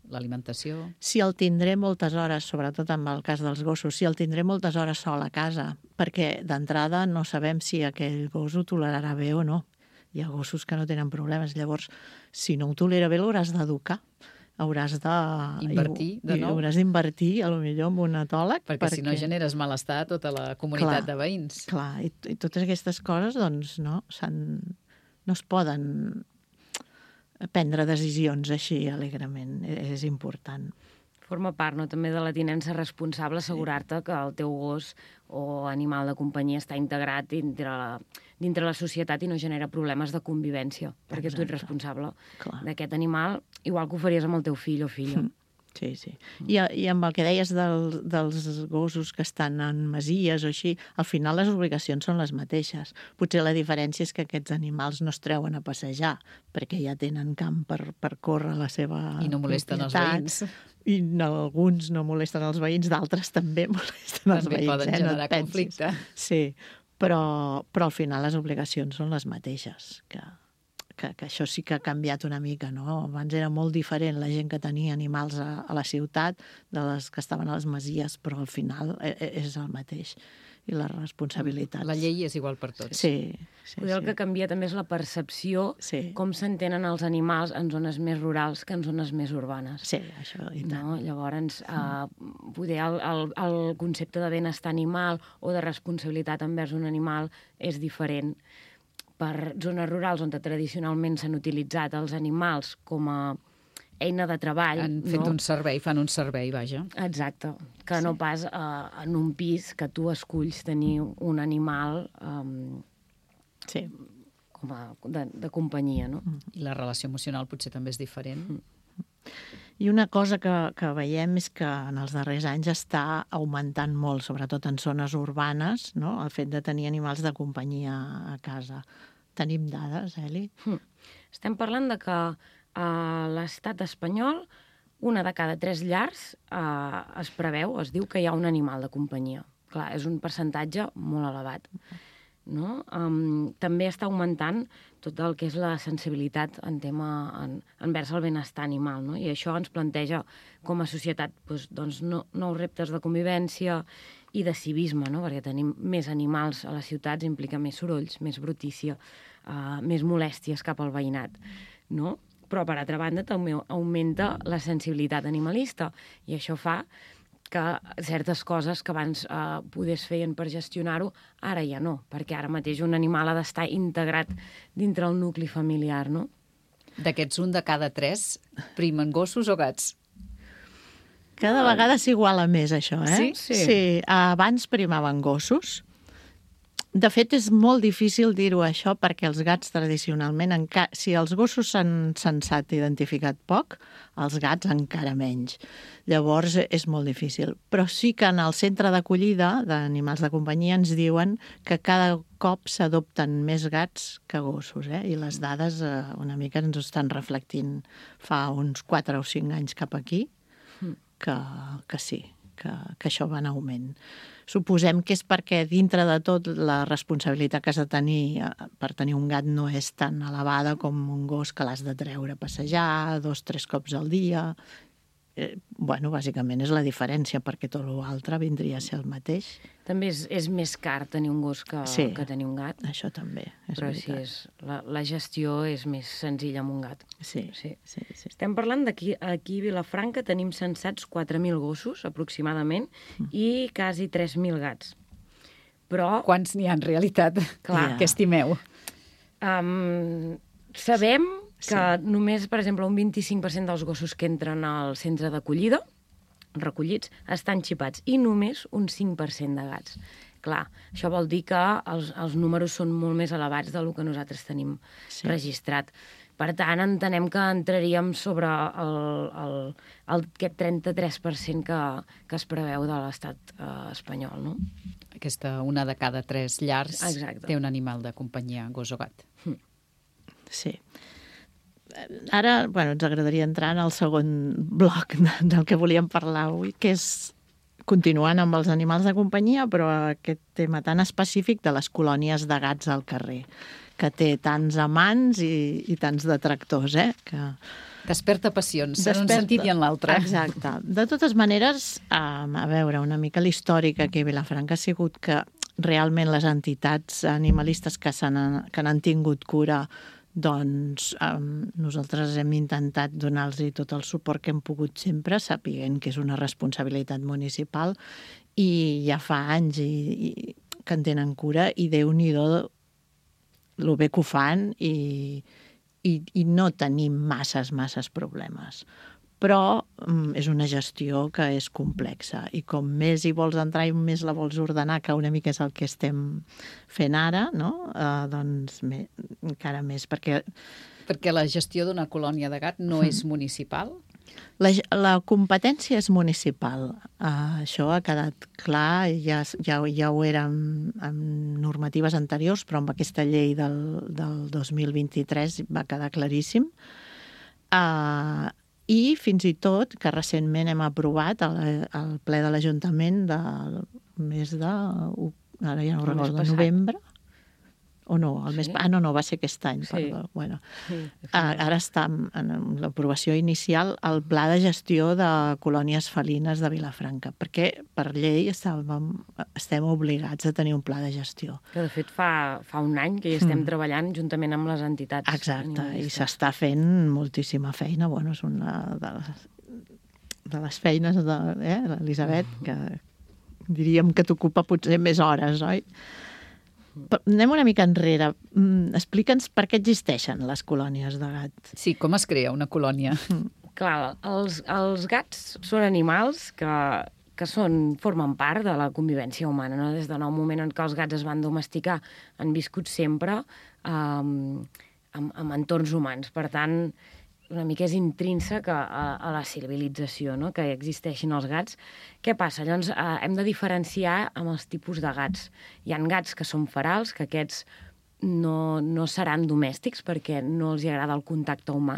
l'alimentació... Si el tindré moltes hores, sobretot amb el cas dels gossos, si el tindré moltes hores sol a casa, perquè d'entrada no sabem si aquell gos ho tolerarà bé o no. Hi ha gossos que no tenen problemes. Llavors, si no ho tolera bé, l'hauràs d'educar. Hauràs de... Invertir, de nou. Hauràs d'invertir, a lo millor, en un etòleg. Perquè, perquè si no generes malestar a tota la comunitat clar, de veïns. Clar, i, i totes aquestes coses, doncs, no, no es poden prendre decisions així alegrement. És important. Forma part, no?, també de la tinença responsable, assegurar-te que el teu gos o animal de companyia està integrat dintre la, dintre la societat i no genera problemes de convivència, perquè Exacte. Tu ets responsable d'aquest animal, igual que ho faries amb el teu fill o filla. Sí, sí. I, i amb el que deies del, dels gossos que estan en masies o així, al final les obligacions són les mateixes. Potser la diferència és que aquests animals no es treuen a passejar, perquè ja tenen camp per, per córrer la seva I no molesten propietat. Els veïns. I no, alguns no molesten els veïns, d'altres també molesten els també veïns. També poden eh? generar no conflicte. Sí, però, però al final les obligacions són les mateixes, que... Que, que això sí que ha canviat una mica, no? Abans era molt diferent la gent que tenia animals a, a la ciutat de les que estaven a les masies, però al final és el mateix. I la responsabilitat. La llei és igual per tots. Sí. sí Potser el sí. que canvia també és la percepció, sí. com s'entenen els animals en zones més rurals que en zones més urbanes. Sí, això i tant. No? Llavors, eh, poder el, el, el concepte de benestar animal o de responsabilitat envers un animal és diferent. Per zones rurals on tradicionalment s'han utilitzat els animals com a eina de treball. Han fet no? un servei, fan un servei, vaja. Exacte, que sí. no pas uh, en un pis que tu esculls tenir un animal um, sí. com a, de, de companyia, no? I la relació emocional potser també és diferent. I una cosa que, que veiem és que en els darrers anys està augmentant molt, sobretot en zones urbanes, no? El fet de tenir animals de companyia a casa. Tenim dades, Eli? Hm. Estem parlant de que a l'estat espanyol una de cada tres llars eh, es preveu, es diu que hi ha un animal de companyia. Clar, és un percentatge molt elevat. No? Um, també està augmentant tot el que és la sensibilitat en tema en, envers el benestar animal, no? I això ens planteja com a societat doncs, doncs, no, nous reptes de convivència i de civisme, no? Perquè tenim més animals a les ciutats implica més sorolls, més brutícia, uh, més molèsties cap al veïnat, no? Però, per altra banda, també augmenta la sensibilitat animalista i això fa que certes coses que abans eh, podies fer per gestionar-ho, ara ja no, perquè ara mateix un animal ha d'estar integrat dintre el nucli familiar, no? D'aquests un de cada tres primen gossos o gats? Cada vegada s'iguala més, això, eh? Sí? Sí. sí. Abans primaven gossos. De fet, és molt difícil dir-ho això perquè els gats tradicionalment, enca... si els gossos s'han sensat identificat poc, els gats encara menys. Llavors és molt difícil. Però sí que en el centre d'acollida d'animals de companyia ens diuen que cada cop s'adopten més gats que gossos, eh? I les dades eh, una mica ens ho estan reflectint fa uns quatre o cinc anys cap aquí, que, que sí, que, que això va en augment. Suposem que és perquè dintre de tot la responsabilitat que has de tenir per tenir un gat no és tan elevada com un gos que l'has de treure a passejar dos, tres cops al dia. Eh, bueno, bàsicament és la diferència, perquè tot l'altre vindria a ser el mateix. També és, és més car tenir un gos que, sí, que tenir un gat. Això també, és Però veritat. sí, és, la, la gestió és més senzilla amb un gat. Sí, sí. sí, sí. Estem parlant d'aquí, aquí a Vilafranca tenim censats quatre mil gossos, aproximadament, mm. i quasi tres mil gats. Però... Quants n'hi ha en realitat? Clar. Què estimeu? Um, sabem que sí. només, per exemple, un vint-i-cinc per cent dels gossos que entren al centre d'acollida, recollits, estan xipats, i només un cinc per cent de gats. Clar, això vol dir que els, els números són molt més elevats del que nosaltres tenim sí. registrat. Per tant, entenem que entraríem sobre el, el, el, aquest trenta-tres per cent que, que es preveu de l'estat eh, espanyol, no? Aquesta una de cada tres llars Exacte. té un animal de companyia, gos o gat. Sí. Ara, bueno, ens agradaria entrar en el segon bloc del que volíem parlar avui, que és continuant amb els animals de companyia, però aquest tema tan específic de les colònies de gats al carrer, que té tants amants i, i tants detractors, eh? Que Desperta passions, en un Desperta. sentit i en l'altre. Exacte. De totes maneres, um, a veure, una mica l'històric aquí a Vilafranca ha sigut que realment les entitats animalistes que, s'han, que n'han tingut cura, doncs um, nosaltres hem intentat donar-los tot el suport que hem pogut sempre, sapiguent que és una responsabilitat municipal, i ja fa anys i, i, que en tenen cura, i Déu-n'hi-do el bé que ho fan, i, i, i no tenim masses, masses problemes. Però um, és una gestió que és complexa, i com més hi vols entrar i més la vols ordenar, que una mica és el que estem fent ara, no? Uh, doncs me, encara més, perquè... Perquè la gestió d'una colònia de gat no Mm. és municipal? La, la competència és municipal. Uh, això ha quedat clar, ja, ja, ja ho era amb, amb normatives anteriors, però amb aquesta llei del, del dos mil vint-i-tres va quedar claríssim. Uh, I fins i tot que recentment hem aprovat al, al ple de l'Ajuntament del mes de... Ara ja no ho recordo, de novembre? O no, el sí? mes... Ah, no, no, va ser aquest any, sí. Perdó. Bueno, sí. Ara està en l'aprovació inicial el pla de gestió de colònies felines de Vilafranca, perquè per llei estàvem, estem obligats a tenir un pla de gestió. Que de fet fa, fa un any que hi estem mm. treballant juntament amb les entitats. Exacte, i s'està fent moltíssima feina. Bueno, és una de les, de les feines de eh, l'Elisabet, que diríem que t'ocupa potser més hores, oi? Anem una mica enrere. Explica'ns per què existeixen les colònies de gat. Sí, com es crea una colònia? Clar, els, els gats són animals que, que són, formen part de la convivència humana, no? Des del moment en què els gats es van domesticar han viscut sempre um, amb, amb entorns humans. Per tant, una mica és intrínsec a, a, a la civilització, no? Que existeixin els gats. Què passa? Llavors, eh, hem de diferenciar amb els tipus de gats. Hi ha gats que són ferals, que aquests no, no seran domèstics perquè no els agrada el contacte humà.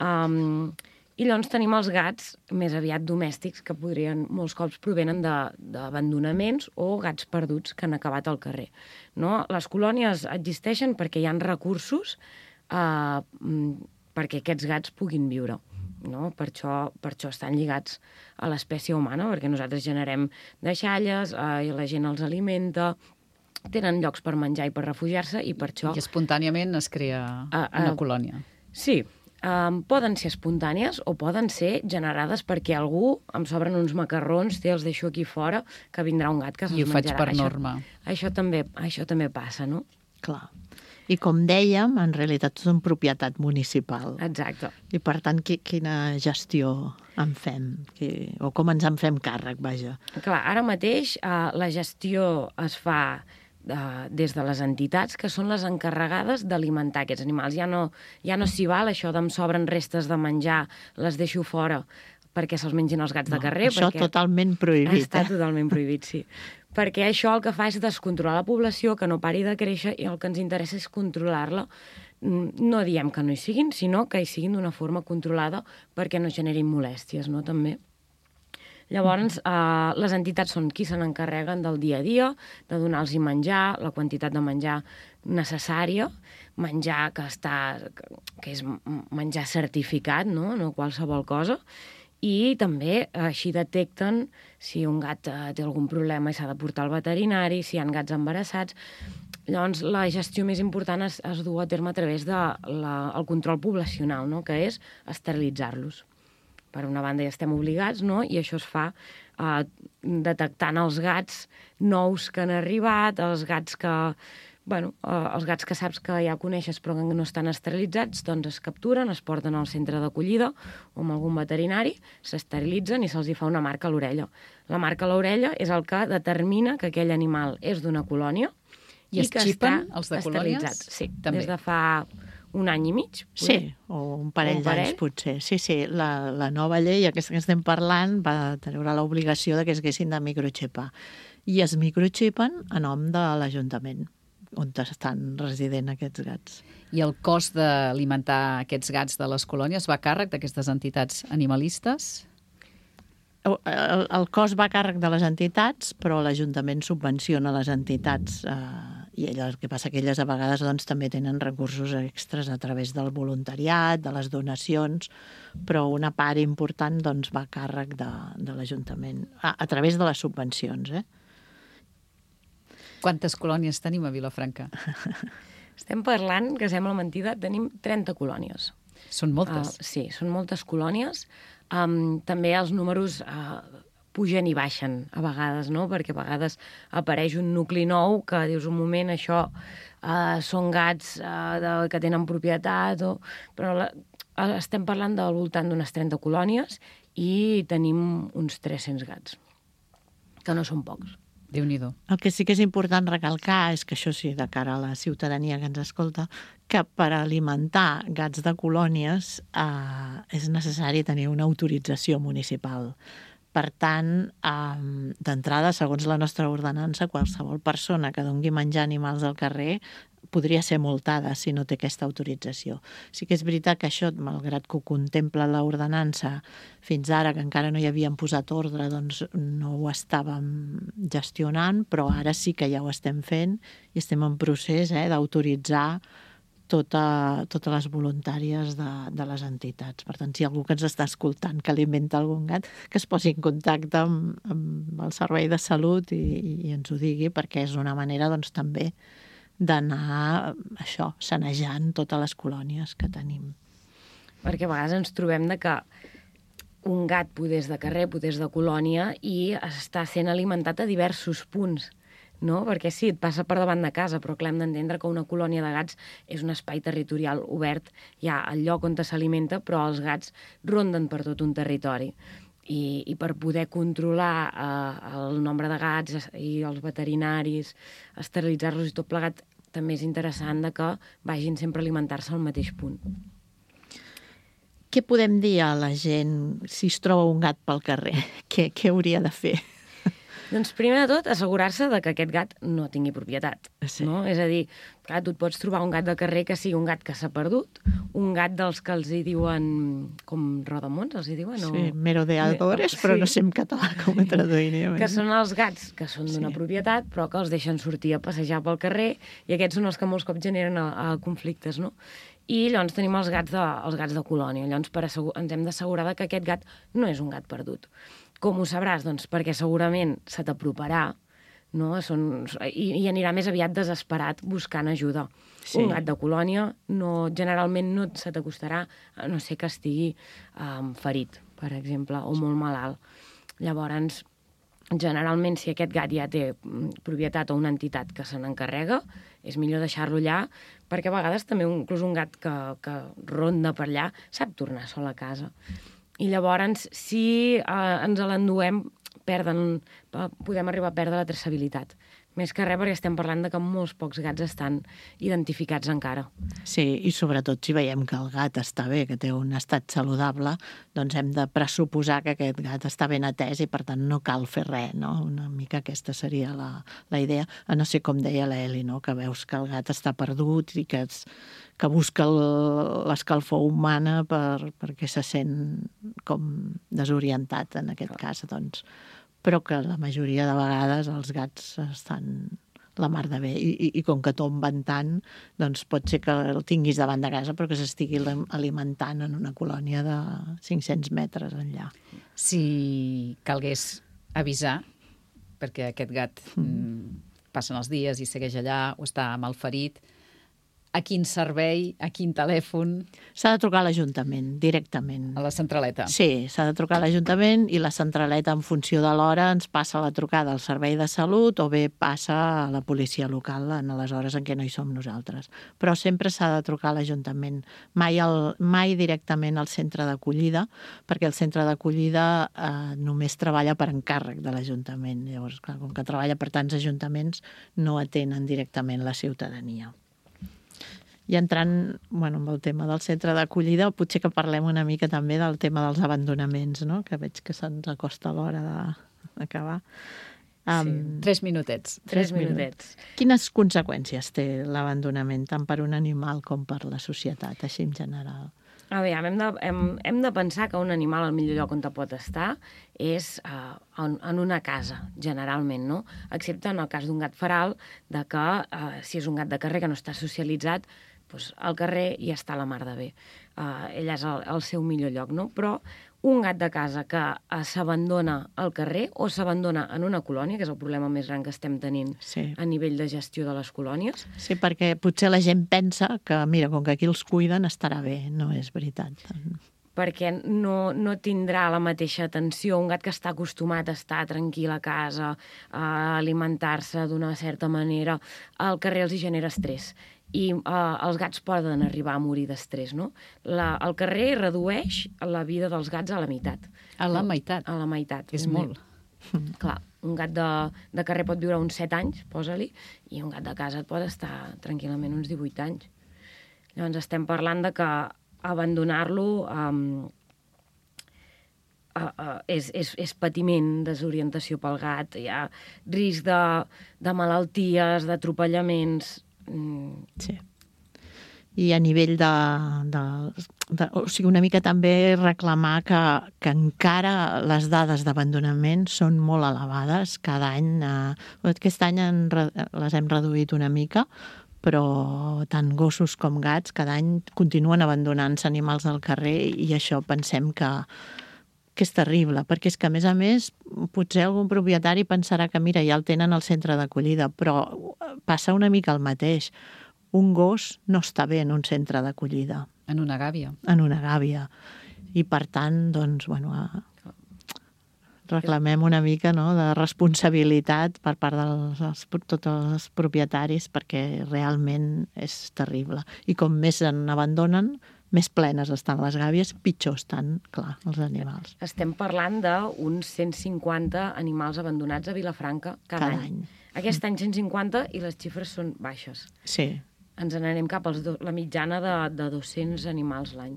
Um, I llavors tenim els gats més aviat domèstics, que podrien, molts cops provenen d'abandonaments o gats perduts que han acabat al carrer. No? Les colònies existeixen perquè hi ha recursos eh, perquè aquests gats puguin viure. No? Per això, per això estan lligats a l'espècie humana, perquè nosaltres generem deixalles, eh, i la gent els alimenta, tenen llocs per menjar i per refugiar-se, i per això... I espontàniament es crea uh, uh, una colònia. Sí, um, poden ser espontànies o poden ser generades perquè algú, em sobren uns macarrons, té, els deixo aquí fora, que vindrà un gat que se'ls menjarà. I ho faig per això, norma. Això també, això també passa, no? Clar. I com dèiem, en realitat són propietat municipal. Exacte. I per tant, qui, quina gestió en fem? Qui, o com ens en fem càrrec, vaja? Clar, ara mateix eh, la gestió es fa eh, des de les entitats, que són les encarregades d'alimentar aquests animals. Ja no, ja no s'hi val això d'em sobren restes de menjar, les deixo fora perquè se'ls mengin els gats no, de carrer. Això perquè... totalment prohibit. Està eh? totalment prohibit, sí. Perquè això el que fa és descontrolar la població, que no pari de créixer, i el que ens interessa és controlar-la. No diem que no hi siguin, sinó que hi siguin d'una forma controlada perquè no generin molèsties, no?, també. Llavors, eh, les entitats són qui se n'encarreguen del dia a dia, de donar-los menjar, la quantitat de menjar necessària, menjar que, està, que és menjar certificat, no?, no qualsevol cosa, i també així detecten si un gat eh, té algun problema i s'ha de portar al veterinari, si hi ha gats embarassats. Llavors, la gestió més important es, es du a terme a través del de control poblacional, no?, que és esterilitzar-los. Per una banda ja estem obligats, no?, i això es fa eh, detectant els gats nous que han arribat, els gats que... Bueno, eh, els gats que saps que ja coneixes però que no estan esterilitzats, doncs es capturen, es porten al centre d'acollida o amb algun veterinari, s'esterilitzen i se'ls hi fa una marca a l'orella. La marca a l'orella és el que determina que aquell animal és d'una colònia i, i es que xipen els de colònies? Sí, també. Des de fa un any i mig. Sí, o un parell, un parell. d'anys potser. Sí, sí, la, la nova llei, aquesta que estem parlant, va treure l'obligació de que es haguessin de microxipar. I es microxipen a nom de l'Ajuntament, on estan resident aquests gats. I el cost d'alimentar aquests gats de les colònies va a càrrec d'aquestes entitats animalistes? El, el, el cost va a càrrec de les entitats, però l'Ajuntament subvenciona les entitats eh, I el que passa que elles a vegades doncs, també tenen recursos extras a través del voluntariat, de les donacions, però una part important doncs, va a càrrec de, de l'Ajuntament, a, a través de les subvencions. Eh? Quantes colònies tenim a Vilafranca? Estem parlant, que sembla mentida, tenim trenta colònies. Són moltes. Uh, sí, són moltes colònies. Um, també els números uh, pugen i baixen a vegades, no? Perquè a vegades apareix un nucli nou que dius un moment, això uh, són gats uh, de, que tenen propietat, o... però la, uh, estem parlant del voltant d'unes trenta colònies i tenim uns tres-cents gats, que no són pocs. Déu-n'hi-do. El que sí que és important recalcar és que això sí, de cara a la ciutadania que ens escolta, que per alimentar gats de colònies eh, és necessari tenir una autorització municipal. Per tant, eh, d'entrada, segons la nostra ordenança, qualsevol persona que doni menjar a animals al carrer podria ser multada si no té aquesta autorització. Sí que és veritat que això, malgrat que ho contempla l'ordenança, fins ara, que encara no hi havíem posat ordre, doncs no ho estàvem gestionant, però ara sí que ja ho estem fent i estem en procés eh, d'autoritzar tota, totes les voluntàries de, de les entitats. Per tant, si hi ha algú que ens està escoltant que alimenta algun gat, que es posi en contacte amb, amb el Servei de Salut i, i ens ho digui, perquè és una manera doncs, també d'anar això, sanejant totes les colònies que tenim. Perquè a vegades ens trobem de que un gat podés de carrer, podés de colònia i està sent alimentat a diversos punts, no? Perquè sí, et passa per davant de casa, però clar, hem d'entendre que una colònia de gats és un espai territorial obert, hi ha el lloc on s'alimenta, però els gats ronden per tot un territori. I, i per poder controlar eh, el nombre de gats i els veterinaris, esterilitzar-los i tot plegat, també és interessant de que vagin sempre a alimentar-se al mateix punt. Què podem dir a la gent si es troba un gat pel carrer? Què, què hauria de fer? Doncs primer de tot, assegurar-se de que aquest gat no tingui propietat. Sí. No? És a dir, clar, tu et pots trobar un gat de carrer que sigui un gat que s'ha perdut, un gat dels que els hi diuen com rodamons, els hi diuen? O... Sí, merodeadores, sí. Però no sé en català com ho traduiríem. Que són els gats que són d'una sí. propietat, però que els deixen sortir a passejar pel carrer, i aquests són els que molts cops generen a, a conflictes, no? I llavors tenim els gats de, els gats de colònia. Llavors per assegur, ens hem d'assegurar que aquest gat no és un gat perdut. Com ho sabràs? Doncs perquè segurament se t'aproparà, no? Són, i, i anirà més aviat desesperat buscant ajuda. Sí. Un gat de colònia no, generalment no se t'acostarà, a no ser que estigui um, ferit, per exemple, o molt malalt. Llavors, generalment, si aquest gat ja té propietat o una entitat que se n'encarrega, és millor deixar-lo allà, perquè a vegades també inclús un gat que, que ronda per allà sap tornar sol a casa. I llavors, si eh, ens l'enduem, perden, podem arribar a perdre la traçabilitat. Més que res perquè estem parlant de que molts pocs gats estan identificats encara. Sí, i sobretot si veiem que el gat està bé, que té un estat saludable, doncs hem de pressuposar que aquest gat està ben atès i per tant no cal fer res, no? Una mica aquesta seria la, la idea. A no ser com deia l'Eli, no? Que veus que el gat està perdut i que, es, que busca l'escalfor humana per, perquè se sent com desorientat en aquest cas, doncs. Però que la majoria de vegades els gats estan la mar de bé. I, i, i com que tomben tant, doncs pot ser que el tinguis davant de casa però que s'estigui alimentant en una colònia de cinc-cents metres enllà. Si calgués avisar, perquè aquest gat mm. passen els dies i segueix allà o està malferit, a quin servei, a quin telèfon? S'ha de trucar a l'Ajuntament, directament. A la centraleta? Sí, s'ha de trucar a l'Ajuntament i la centraleta, en funció de l'hora, ens passa la trucada al Servei de Salut o bé passa a la policia local en les hores en què no hi som nosaltres. Però sempre s'ha de trucar a l'Ajuntament. Mai, el, mai directament al centre d'acollida, perquè el centre d'acollida eh, només treballa per encàrrec de l'Ajuntament. Llavors, clar, com que treballa per tants ajuntaments, no atenen directament la ciutadania. I entrant bueno, amb el tema del centre d'acollida, potser que parlem una mica també del tema dels abandonaments, no? Que veig que se'ns acosta l'hora d'acabar. Um, sí, tres minutets. Tres, tres minutets. minutets. Quines conseqüències té l'abandonament, tant per un animal com per la societat, així en general? A veure, hem de, hem, hem de pensar que un animal al millor lloc on te pot estar és uh, en, en una casa, generalment, no? Excepte en el cas d'un gat feral, de que uh, si és un gat de carrer que no està socialitzat, doncs al carrer hi està la mar de bé. Uh, ell és el, el seu millor lloc, no? Però un gat de casa que uh, s'abandona al carrer o s'abandona en una colònia, que és el problema més gran que estem tenint sí. a nivell de gestió de les colònies. Sí, perquè potser la gent pensa que, mira, com que aquí els cuiden estarà bé. No és veritat. Perquè no, no tindrà la mateixa atenció. Un gat que està acostumat a estar tranquil a casa, a alimentar-se d'una certa manera, al carrer els hi genera estrès. I uh, els gats poden arribar a morir d'estrès, no? La, el carrer redueix la vida dels gats a la meitat. A la meitat? A la meitat. És molt. Clar, un gat de, de carrer pot viure uns set anys, posa-li, i un gat de casa et pot estar tranquil·lament uns divuit anys. Llavors estem parlant de que abandonar-lo um, uh, uh, és, és, és patiment, desorientació pel gat, hi ha risc de, de malalties, d'atropellaments. Sí. I a nivell de, de, de... O sigui, una mica també reclamar que, que encara les dades d'abandonament són molt elevades. Cada any, eh, aquest any en, les hem reduït una mica, però tant gossos com gats cada any continuen abandonant-se animals al carrer i això pensem que, que és terrible, perquè és que, a més a més, potser algun propietari pensarà que, mira, ja el tenen al centre d'acollida, però passa una mica el mateix. Un gos no està bé en un centre d'acollida. En una gàbia. En una gàbia. I, per tant, doncs, bueno, reclamem una mica, no?, de responsabilitat per part dels els, tots els propietaris, perquè realment és terrible. I com més en abandonen, més plenes estan les gàbies, pitjor estan, clar, els animals. Estem parlant d'uns cent cinquanta animals abandonats a Vilafranca cada, cada any. any. Aquest any cent cinquanta i les xifres són baixes. Sí. Ens n'anem cap a la mitjana de, de dos-cents animals l'any.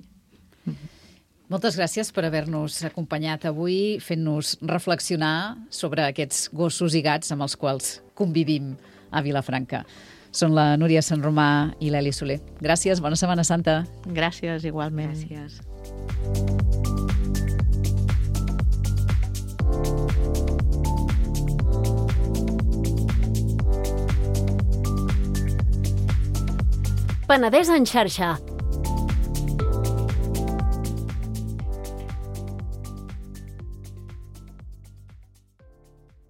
Moltes gràcies per haver-nos acompanyat avui, fent-nos reflexionar sobre aquests gossos i gats amb els quals convivim a Vilafranca. Són la Núria Sant Romà i l'Eli Soler. Gràcies, bona Setmana Santa. Gràcies, igualment. Gràcies. Penedès en xarxa,